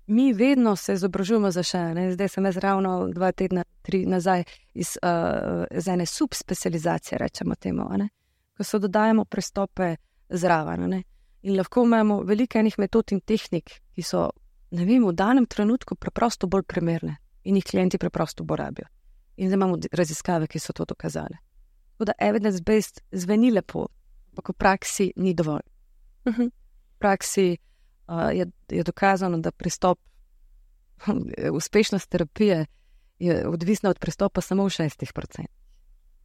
mi vedno se izobražujemo za še, ne? Zdaj sem jaz ravno dva tedna, tri nazaj iz, uh, iz ene subspecializacije, rečemo temu, ne? Ko se dodajamo pristope zraven. Ne? In lahko imamo veliko enih metod in tehnik, ki so, ne vem, v danem trenutku preprosto bolj primerne in jih klienti preprosto porabijo. In zdaj imamo raziskave, ki so to dokazali. Tako da evidence-based zveni lepo, ampak v praksi ni dovolj. Uh-huh. V praksi uh, je, je dokazano, da pristop, uspešnost terapije je odvisna od pristopa samo v šestih procentih.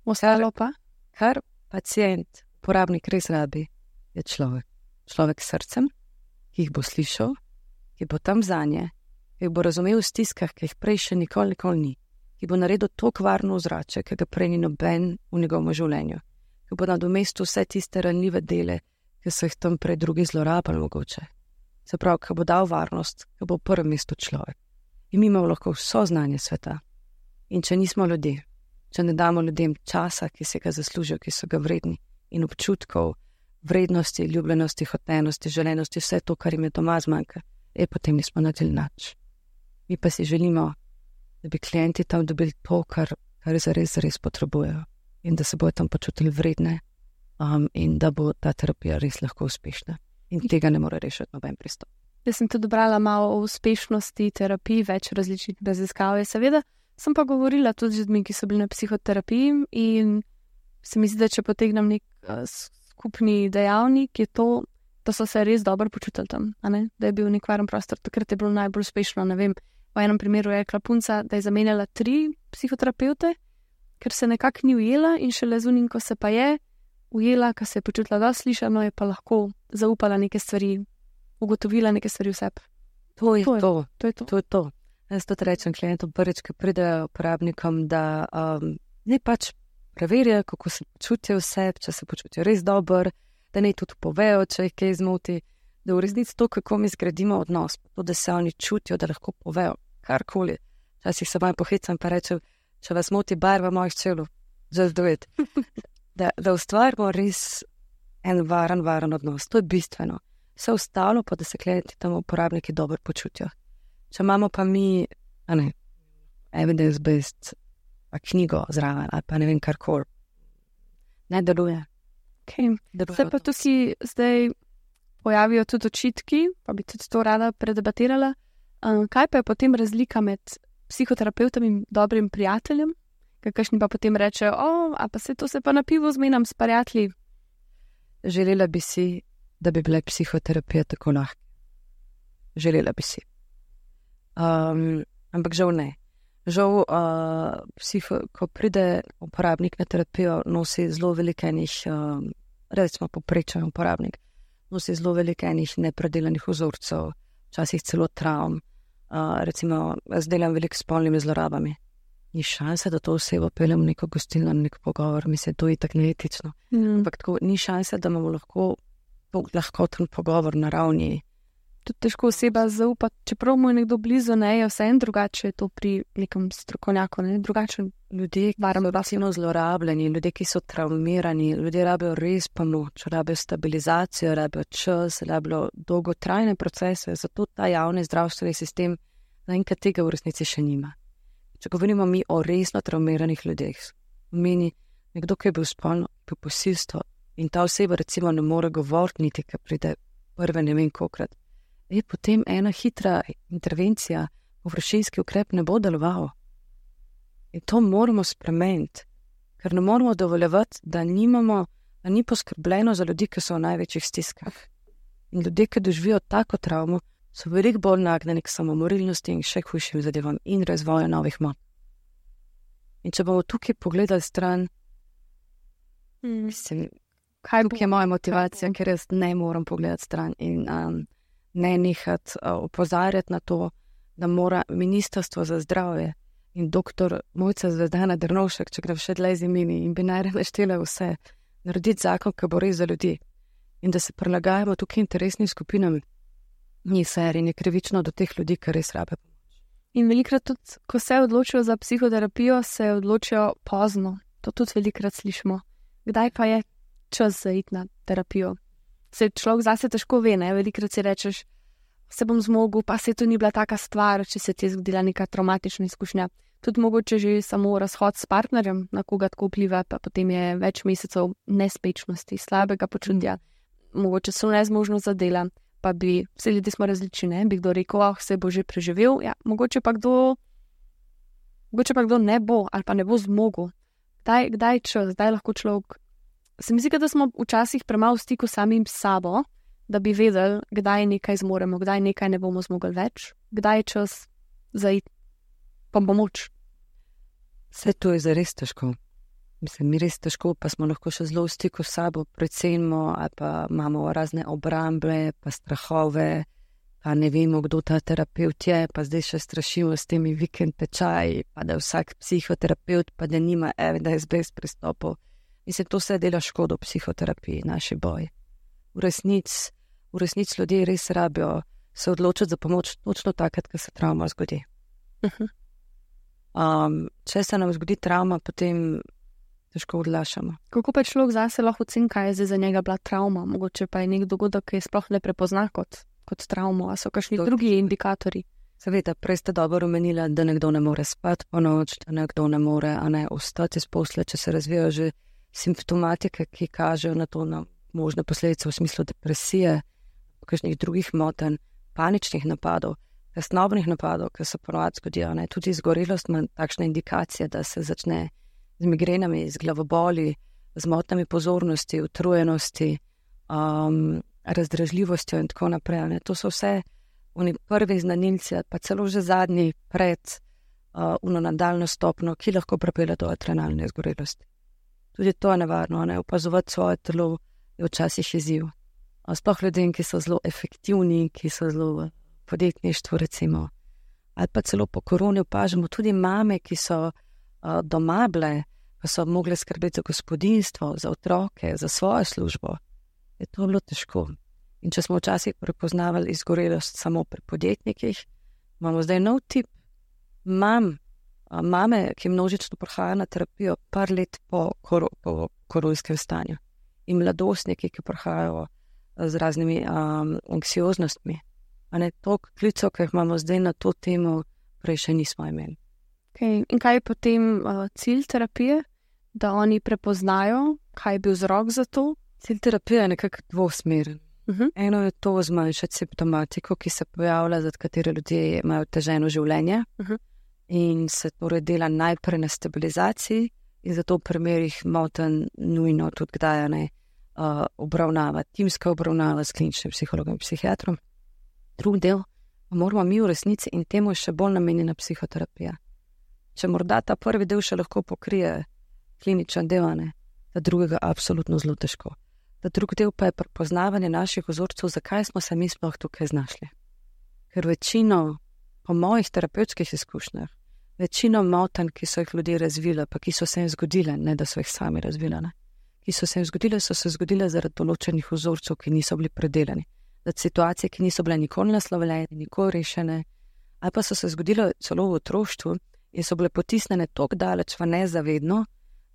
Ostalo pa? Kar pacient, uporabnik res rabi, je človek. Človek s srcem, ki jih bo slišal, ki bo tam zanje, ki bo razumel v stiskah, ki jih prej še nikoli, nikoli ni. Ki bo naredil to kvarno ozračje, ki ga prej ni noben v njegovem življenju, ki bo nadomestil vse tiste ranljive dele, ki so jih tam prej drugi zlorabili mogoče. Se pravi, ki bo dal varnost, ki bo v prvem mestu človek. In mi imamo lahko vso znanje sveta. In če nismo ljudje, če ne damo ljudem časa, ki se ga zaslužijo, ki so ga vredni, in občutkov, vrednosti, ljubljenosti, hotenosti, želenosti, vse to, kar jim je doma zmanjka, je potem nismo naredili nič. Mi pa si želimo, da bi klienti tam dobili to, kar, kar zares, zares potrebujejo in da se bojo tam počutili vredne um, in da bo ta terapija res lahko uspešna. In tega ne more rešiti noben pristop. Jaz sem tudi brala malo o uspešnosti terapij, več različnih raziskav je seveda. Sem pa govorila tudi z ljudmi, ki so bili na psihoterapiji in se mi zdi, da če potegnem nek uh, skupni dejavnik, je to, da so se res dobro počutili tam, a ne? Da je bil nek varen prostor, takrat je bilo najbolj uspešno, ne vem. V enem primeru je rekla punca, da je zamenjala tri psihoterapeute, ker se nekako ni ujela in šele zunim, ko se pa je ujela, ko se je počutila dosti slišano, je pa lahko zaupala neke stvari, ugotovila neke stvari v sebi. To je to. To je to. to, je to. Jaz to rečem klientom prvič, ko pridejo uporabnikom, da um, ne pač preverijo, kako se počutijo v sebi, če se počutijo res dobro, da ne tudi povejo, če jih kaj zmoti, da v resnici to, kako mi zgradimo odnos, to, da se oni čutijo, da lahko povejo karkoli. Včasih se malo pohecam pa rečem, če vas moti barva mojih čelov, just do it. Da, da ustvarimo res en varen, varen odnos. To je bistveno. Vse ostalo pa, da se klienti tam uporabniki dobro počutijo. Če imamo pa mi, a ne, evidence-based knjigo zraven, ali pa ne vem karkoli, ne deluje. Okay. Se pa tukaj zdaj pojavijo tudi očitki, pa bi tudi to rada predebatirala. Um, kaj pa je potem razlika med psihoterapeutom in dobrim prijateljem? Kakšni pa potem rečejo, o, a pa se to se pa na pivo zmenam s prijatelji. Želela bi si, da bi bila psihoterapija tako lahka. Želela bi si. Um, ampak žal ne. Žal, uh, psiho, ko pride uporabnik na terapijo, nosi zelo velikenih, um, recimo poprečen uporabnik, nosi zelo veliko enih nepredelanih vzorcev, včasih celo travm. Uh, recimo, jaz delam veliko s spolnimi zlorabami. Ni šanse, da to osebo peljem v neko gostilno, na nek pogovor, mislim, to je tako neetično. Mm. Ampak tako, ni šanse, da imamo lahko lahkoten pogovor na ravni. Tudi težko oseba zaupati, čeprav mu je nekdo blizu, ne, je vse en drugače, je to pri nekem strokovnjaku, ne, drugačen. Ljudje, ki so pasivno zlorabljeni, ljudje, ki so travmirani, ljudje rabijo res pomoč, rabijo stabilizacijo, rabijo čas, rabijo dolgotrajne procese, zato ta javni zdravstveni sistem zaenkrat tega v resnici še nima. Če govorimo mi o resno travmiranih ljudeh, meni nekdo, ki je bil spolno, bil posilstvo in ta oseba recimo ne more govoriti niti, ki pride prve ne vem kolikrat, je potem ena hitra intervencija, površinski ukrep ne bo deloval. In to moramo spremeniti, ker ne moramo dovoljevati, da nimamo, da ni poskrbljeno za ljudi, ki so v največjih stiskah. In ljudje, ki doživijo tako travmo, so veliko bolj nagnjeni k samomorilnosti in še hujšim zadevam in razvoju novih mot. In če bomo tukaj pogledali stran, mm. mislim, kaj tukaj je moja motivacija, ker jaz ne moram pogledati stran in um, ne nehati uh, opozarjati na to, da mora Ministrstvo za zdravje in doktor Mojca Zvezdana Drnovšek, če gre še dlje z imeni in bi naj naštela vse, narediti zakon, ki bo res za ljudi in da se prilagajamo tukaj interesnim skupinam. Ni ser in je krivično do teh ljudi, ki res rabe pomoč. In velikrat tudi, ko se odločijo za psihoterapijo, se odločijo pozno. To tudi velikrat slišimo. Kdaj pa je čas za iti na terapijo? Se človek zase težko ve, ne? Velikrat si rečeš, se bom zmogel, pa se to ni bila taka stvar, če se ti je zgodila neka traumatična izkušnja. Tudi mogoče že samo razhod s partnerjem, na koga tako vpliva, pa potem je več mesecev nespečnosti, slabega počutja, mogoče so nezmožnost za dela. Pa bi, vse ljudje smo različni, ne, bi kdo rekel, oh, se bo že preživel, ja, mogoče pa kdo, mogoče pa kdo ne bo, ali pa ne bo zmogel. Kdaj, kdaj čas, kdaj lahko človek, se mi zdi, da smo včasih premalo v stiku samim sabo, da bi vedeli, kdaj nekaj zmoremo, kdaj nekaj ne bomo zmogli več, kdaj je čas za iti pa pomoč. Vse to je zares težko. Mislim, mi res težko, pa smo lahko še zelo v stiku s sabo, precenimo, ali pa imamo razne obrambe, pa strahove, pa ne vemo, kdo ta terapeut je, pa zdaj še strašimo s temi vikend tečaji, pa da je vsak psihoterapeut, pa da nima evidence-based pristopov. Mislim, to se dela škodo psihoterapiji, naši boj. V resnici, v resnici ljudje res rabijo se odločiti za pomoč točno takrat, ko se travma zgodi. Uh-huh. Um, če se nam zgodi travma, potem težko odlašamo. Kako pa človek zase lahko oceni, kaj je zdaj za njega bila travma? Mogoče pa je nek dogodek, ki je sploh ne prepozna kot, kot travmo, a so kakšni Do, drugi indikatorji? Seveda, prej ste dobro omenila, da nekdo ne more spati po noč, da nekdo ne more a ne ostati iz posle, če se razvijajo že simptomatike, ki kažejo na to, na možne posledice v smislu depresije, kakšnih drugih motenj, paničnih napadov, tesnobnih napadov, ki se ponovadi zgodijo, ne, tudi izgorelost ima takšna indikacija, da se začne z migrenami, z glavoboli, z motnjami pozornosti, utrujenosti, um, razdražljivostjo in tako naprej. Ne. To so vse oni prvi znanilci, pa celo že zadnji pred uh, uno nadaljno stopno, ki lahko pripelje do adrenalne izgorelosti. Tudi to je nevarno, ne. Opazovati svoje telo je včasih izziv. Sploh ljudem, ki so zelo efektivni, ki so zelo v podjetništvu recimo. Ali pa celo po koroni opažamo tudi mame, ki so doma bile, pa so mogle skrbeti za gospodinjstvo, za otroke, za svojo službo, je to bilo težko. In če smo včasih prepoznavali izgorelost samo pri podjetnikih, imamo zdaj nov tip mam, mame, ki množično prihajajo na terapijo par let po, kor, po koronskem stanju. In mladostniki, ki prihajajo z raznimi um, anksioznostmi. A ne toliko klicov, ki jih imamo zdaj na to temo, prej še nismo imeli. Okay. In kaj je potem uh, cilj terapije, da oni prepoznajo, kaj je bil vzrok za to? Cilj terapije je nekako dvosmeren. Uh-huh. Eno je to zmanjšati simptomatiko, ki se pojavlja, za katere ljudje imajo teženo življenje uh-huh. in se torej dela najprej na stabilizaciji in zato v primerih motenj nujno tudi kdaj ne uh, obravnava, timska obravnava s kliničnim psihologom in psihiatrom. Drugi del pa moramo mi v resnici in temu je še bolj namenjena psihoterapija. Če morda ta prvi del še lahko pokrije kliničen del, ne, ta drugega absolutno zelo težko. Da drug del pa je prepoznavanje naših vzorcev, zakaj smo se mi sploh tukaj znašli. Ker večino, po mojih terapevtskih izkušnjah, večino motenj, ki so jih ljudje razvili, pa ki so se jim zgodile, ne da so jih sami razvili, ne, ki so se jim zgodile, so se zgodile zaradi določenih vzorcev, ki niso bili predelani, zaradi situacije, ki niso bile nikoli naslovljene, nikoli rešene, ali pa so se zgodile celo v otroštvu in so bile potisnjene toliko daleč v nezavedno,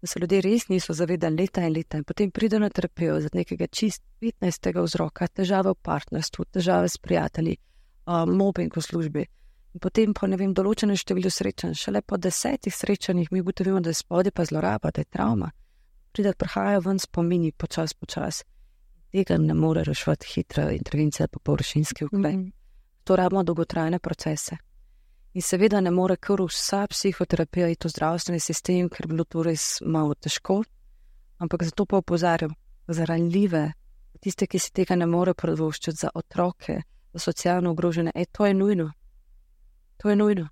da se ljudje res niso zavedali leta in leta in potem pridejo na terapijo zaradi nekega čist petnajstega vzroka, težave v partnerstvu, težave s prijatelji, uh, mobbing v službi. In potem po, ne vem, določenem številu srečanj, šele po desetih srečanjih mi ugotovimo, da je spodaj pa zloraba, da je travma. Pride, prihajajo ven spomini počas, počas. Tega ne more reševati hitra intervencija pa površinski ukrep. Mm-hmm. To rabimo dolgotrajne procese. In seveda ne more kar vsa psihoterapija iti v zdravstveni sistem, ker bi bilo to res malo težko, ampak zato pa opozarjam, za ranljive, tiste, ki si tega ne more privoščiti, za otroke, za socialno ogrožene, e, to je nujno. To je nujno.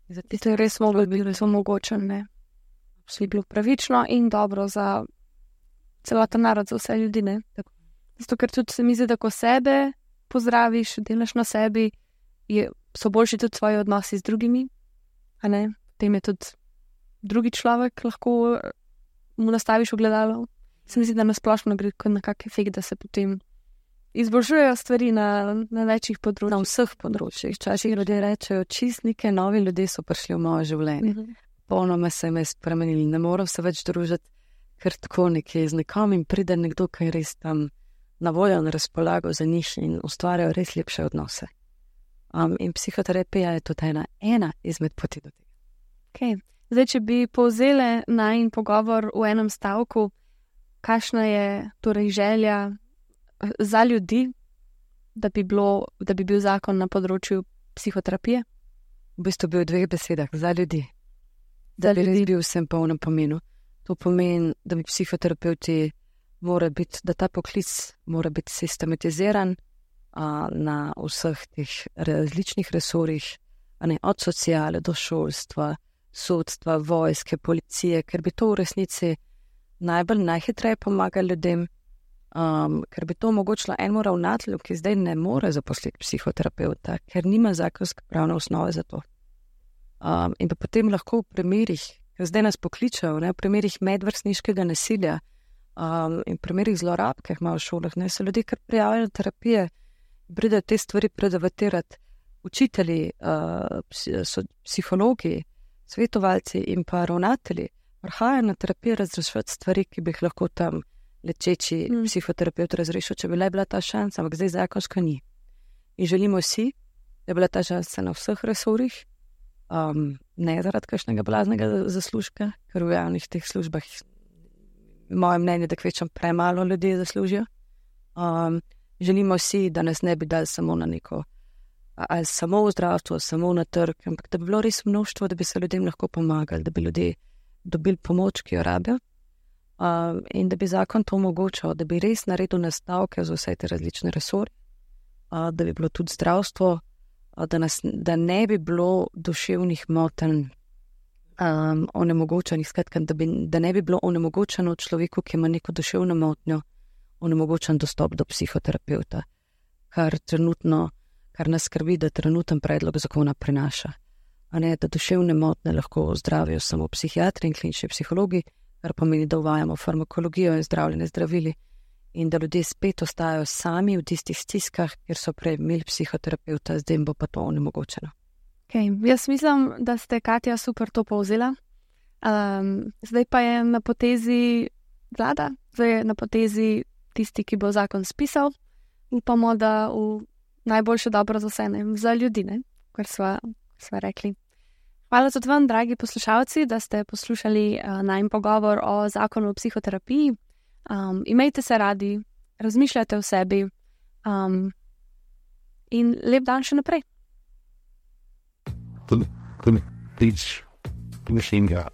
To je res moglo biti res omogočeno, ne? Vsi bilo pravično in dobro za celoten narod, za vse ljudi, ne? Tako. Zato, ker tudi se mi zdi, da ko sebe pozdraviš, delaš na sebi, je, so boljši tudi svoji odnosi z drugimi, a ne? Potem je tudi drugi človek lahko mu nastaviš ogledalo. Se mi zdi, da nasplošno gre na kak efekt, da se potem izboljšujejo stvari na, na večjih področjih. Na vseh področjih. Včasih ljudje rečejo, čistnike, novi ljudje so prišli v moje življenje. Uh-huh. Polnoma se me spremenili. Ne moram se več družiti kar tako nekje z nekom in pride nekdo, ki je res tam na voljo in razpolago za njih in ustvarjajo res lepše odnose. Um, in psihoterapija je tudi ena, ena izmed poti do tega. Okay. Zdaj, če bi povzele najin pogovor v enem stavku, kakšna je torej želja za ljudi, da bi, bilo, da bi bil zakon na področju psihoterapije? V bistvu bi v dveh besedah, za ljudi. Da bi res bil vsem polnem pomenu. To pomeni, da bi psihoterapeuti mora biti, da ta poklic mora biti sistematiziran a, na vseh teh različnih resorjih, a ne, od sociale do šolstva, sodstva, vojske, policije, ker bi to v resnici najbolj najhitreje pomaga ljudem, um, ker bi to omogočilo enemu ravnatelju, ki zdaj ne more zaposliti psihoterapeuta, ker nima zakonske pravne osnove za to. Um, in pa potem lahko v primerih, ker zdaj nas pokličajo, ne, v primerih medvrstniškega nasilja um, in v primerih zlorab, ki jih imajo v šolah, ne, so ljudje kar prijavili na terapije, pridejo te stvari predebatirati učitelji, uh, so psihologi, svetovalci in pa ravnatelji, prihajajo na terapijo razrešiti stvari, ki bi jih lahko tam lečeči mm. psihoterapeut razrešil, če bi le bila ta šansa, ampak zdaj zakonsko ni. In želimo si, da je bila ta šansa na vseh resorjih, um, ne zaradi kakšnega blaznega zaslužka, ker v javnih teh službah, moje mnenje, da kvečem premalo ljudi zaslužijo. Um, želimo si, da nas ne bi dali samo na neko, ali samo v zdravstvu, samo na trg, ampak da bi bilo res mnoštvo, da bi se ljudem lahko pomagali, da bi ljudje dobili pomoč, ki jo rabijo, uh, in da bi zakon to omogočal, da bi res naredil nastavke za vse te različne resorje, uh, da bi bilo tudi zdravstvo, uh, da, nas, da ne bi bilo duševnih motenj um, onemogočenih, skratka, da, bi, da ne bi bilo onemogočeno človeku, ki ima neko duševno motnjo, onemogočen dostop do psihoterapeuta, kar trenutno kar nas skrbi, da trenuten predlog zakona prinaša. A ne, da duševne motnje lahko zdravijo samo psihiatri in klinični psihologi, kar pomeni, da uvajamo farmakologijo in zdravljenje zdravili in da ljudje spet ostajajo sami v tistih stiskah, kjer so prej imeli psihoterapeuta, zdaj bo pa to onemogočeno. Okay. Jaz mislim, da ste, Katja, super to povzela. Um, zdaj pa je na potezi vlada, zdaj je na potezi tisti, ki bo zakon spisal. Upamo, da v najboljše dobro za vse, ne, za ljudi, ne, kar sva, sva rekli. Hvala tudi vam, dragi poslušalci, da ste poslušali uh, najin pogovor o zakonu o psihoterapiji. Um, imejte se radi, razmišljajte o sebi um, in lep dan še naprej. Tudi, tudi, tudi, mislim, da,